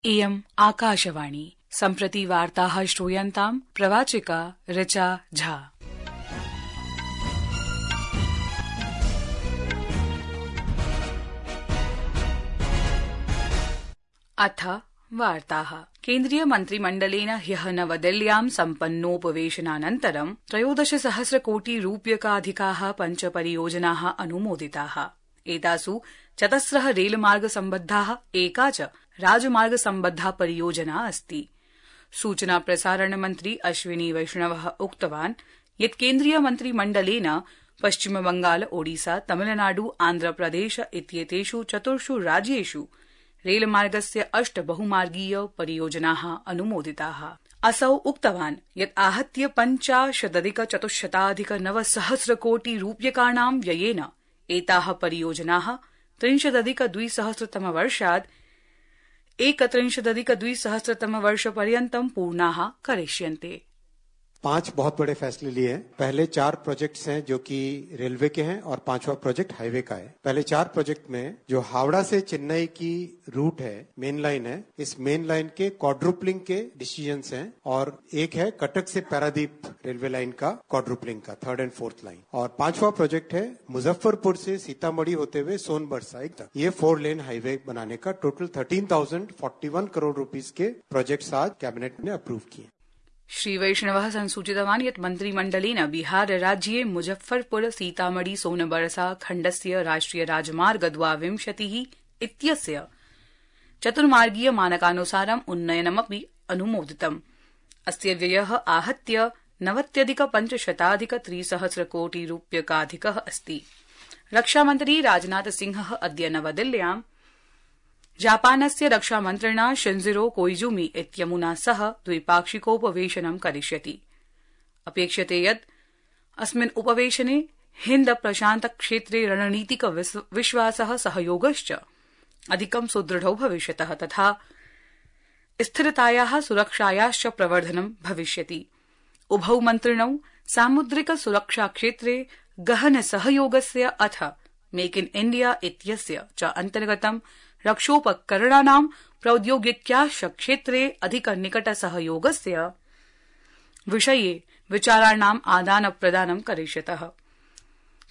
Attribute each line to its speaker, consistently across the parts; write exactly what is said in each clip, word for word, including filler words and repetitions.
Speaker 1: इयम् आकाशवाणी। सम्प्रति वार्ताः श्रूयन्ताम् प्रवाचिका ऋचा झा। अथ वार्ताः। केन्द्रीय मन्त्रिमण्डलेन ह्यः नवदिल्ल्यां सम्पन्नोपवेशनानन्तरं त्रयोदश सहस्र कोटि रूप्यकाधिकाः पञ्च परियोजनाः अनुमोदिताः। एतासु चतस्रः रेलमार्ग सम्बद्धाः, एका च राजमार्ग सम्बद्धा परियोजना अस्ति। सूचना प्रसारण मन्त्री अश्विनी वैष्णवः उक्तवान् यत् केन्द्रीय मन्त्रिमण्डलेन पश्चिमबंगाल, ओडिसा, तमिलनाडु, आन्ध्रप्रदेश इत्येतेषु चतुर्षु राज्येषु रेलमार्गस्य अष्ट बहुमार्गीय परियोजनाः अनुमोदिताः। असौ उक्तवान् यत् आहत्य पञ्चाशदधिक चतुश्शताधिक नवसहस्र कोटि रूप्यकाणां व्ययेन एताः परियोजनाः त्रिंशदधिक द्विसहस्रतमवर्षात् एकत्रिंशदधिक द्विसहस्रतमवर्षपर्यन्तं पूर्णाः करिष्यन्ते।
Speaker 2: पांच बहुत बड़े फैसले लिए हैं। पहले चार प्रोजेक्ट्स हैं जो कि रेलवे के हैं और पांचवा प्रोजेक्ट हाईवे का है। पहले चार प्रोजेक्ट में जो हावड़ा से चेन्नई की रूट है, मेन लाइन है, इस मेन लाइन के क्वाड्रुपलिंग के डिसीजंस हैं और एक है कटक से पारादीप रेलवे लाइन का क्वाड्रुपलिंग का थर्ड एंड फोर्थ लाइन। और पांचवा प्रोजेक्ट है मुजफ्फरपुर से सीतामढ़ी होते हुए सोनभद्र साइड तक ये फोर लेन हाईवे बनाने का टोटल थर्टीन थाउजेंड फोर्टी वन करोड़ रुपीज के प्रोजेक्ट्स आज कैबिनेट ने अप्रूव किए।
Speaker 1: श्री वैष्णवः संसूचितवान् यत् मन्त्रिमण्डलेन बिहार राज्ये मुजफ्फरपुर सीतामढ़ी सोनबरसा खण्डस्य राष्ट्रिय राजमार्ग द्वाविंशतिः इत्यस्य चतुर्मार्गीय मानकानुसारम् उन्नयनमपि अनुमोदितम्। अस्य व्ययः आहत्य नवत्यधिक पञ्चशताधिक त्रिसहस्र कोटि रूप्यकाधिकः अस्ति। रक्षामन्त्री राजनाथ सिंहः अद्य नवदिल्ल्यां जापानस्य रक्षामन्त्रिणा शिंजिरो कोइजुमी इत्यमुना सह द्विपाक्षिकोपवेशनं करिष्यति। अपेक्ष्यते यत् अस्मिन् उपवेशने हिन्द प्रशान्त क्षेत्रे रणनीतिक विश्वासः सहयोगश्च अधिकं सुदृढौ भविष्यतः तथा स्थिरतायाः सुरक्षायाश्च प्रवर्धनं भविष्यति। उभौ मन्त्रिणौ सामुद्रिक सुरक्षा क्षेत्रे गहन सहयोगस्य अथ मेक इन इण्डिया इत्यस्य च अन्तर्गतं रक्षोपकरणानां प्रौद्योगिक्याश्च क्षेत्रे अधिक निकट सहयोगस्य विषये विचाराणाम् आदान प्रदानं करिष्यतः।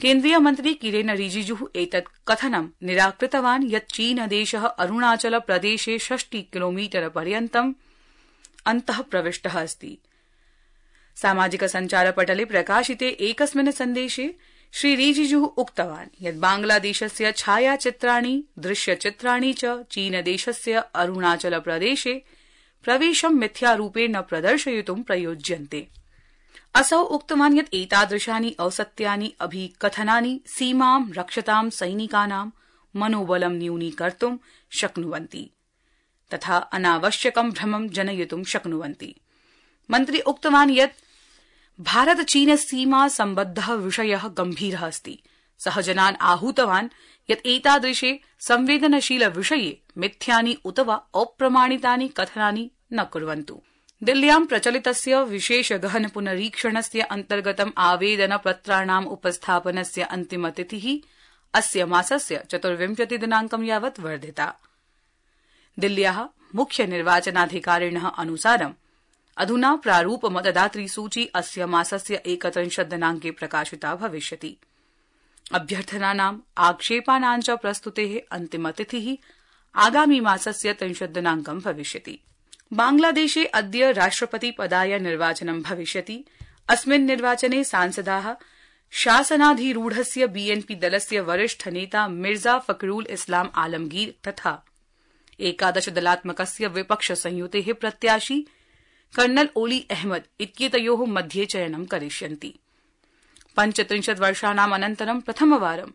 Speaker 1: केन्द्रीय मन्त्री किरेन रिजिजुः एतत् कथनं निराकृतवान् यत् चीनदेशः अरुणाचल प्रदेशे षष्टि किलोमीटर पर्यन्तम् अन्तः प्रविष्टः अस्ति। सामाजिक सञ्चारपटले प्रकाशिते एकस्मिन् सन्देशे श्री रिजिजुः उक्तवान् यत् बांग्लादेशस्य छायाचित्राणि, दृश्यचित्राणि च चीनदेशस्य अरुणाचल प्रदेशे प्रवेशं मिथ्यारूपेण प्रदर्शयितुं प्रयुज्यन्ते। असौ उक्तवान् यत् एतादृशानि औसत्यानि अभिकथनानि सीमां रक्षतां सैनिकानां मनोबलं न्यूनीकर्तुं शक्नुवन्ति तथा अनावश्यकं भ्रमं जनयितुं शक्नुवन्ति। मन्त्री उक्तवान् यत् भारत चीन सीमा सम्बद्धः विषयः गम्भीरः अस्ति। सः जनान् आहूतवान् यत् एतादृशे संवेदनशील विषये मिथ्यानि उत वा अप्रमाणितानि कथनानि न कुर्वन्तु। दिल्ल्यां प्रचलितस्य विशेष गहन पुनरीक्षणस्य अन्तर्गतम् आवेदन पत्राणाम् उपस्थापनस्य अन्तिमतिथिः अस्य मासस्य चतुर्विंशति दिनाङ्कं यावत् वर्धिता। दिल्ल्याः मुख्य निर्वाचनाधिकारिणः अनुसारम् अधुना प्रारूप मतदातृ सूची अस्य मासस्य एकत्रिंशत् दिनाङ्के प्रकाशिता भविष्यति। अभ्यर्थनानाम् आक्षेपानां च प्रस्तुतेः अन्तिमतिथिः आगामी मासस्य त्रिंशत् दिनाङ्कं भविष्यति। बांग्लादेशे अद्य राष्ट्रपति पदाय निर्वाचनं भविष्यति। अस्मिन् निर्वाचने सांसदाः शासनाधिरूढस्य बीएनपी दलस्य वरिष्ठ नेता मिर्जा फखरुल इस्लाम आलमगीर तथा एकादश दलात्मकस्य विपक्ष संयुतेः प्रत्याशी कर्नल ओली अहमद इत्येतयोः मध्ये चयनं करिष्यन्ति। पञ्चत्रिंशत् वर्षाणाम् अनन्तरं प्रथमवारं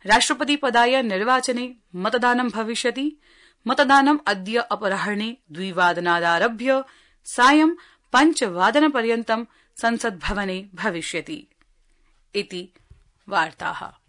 Speaker 1: राष्ट्रपतिपदाय निर्वाचने मतदानं भविष्यति। मतदानम् अद्य अपराह्णे द्विवादनादारभ्य सायं पञ्चवादनपर्यन्तं संसद्भवने भविष्यति। इति वार्ताः।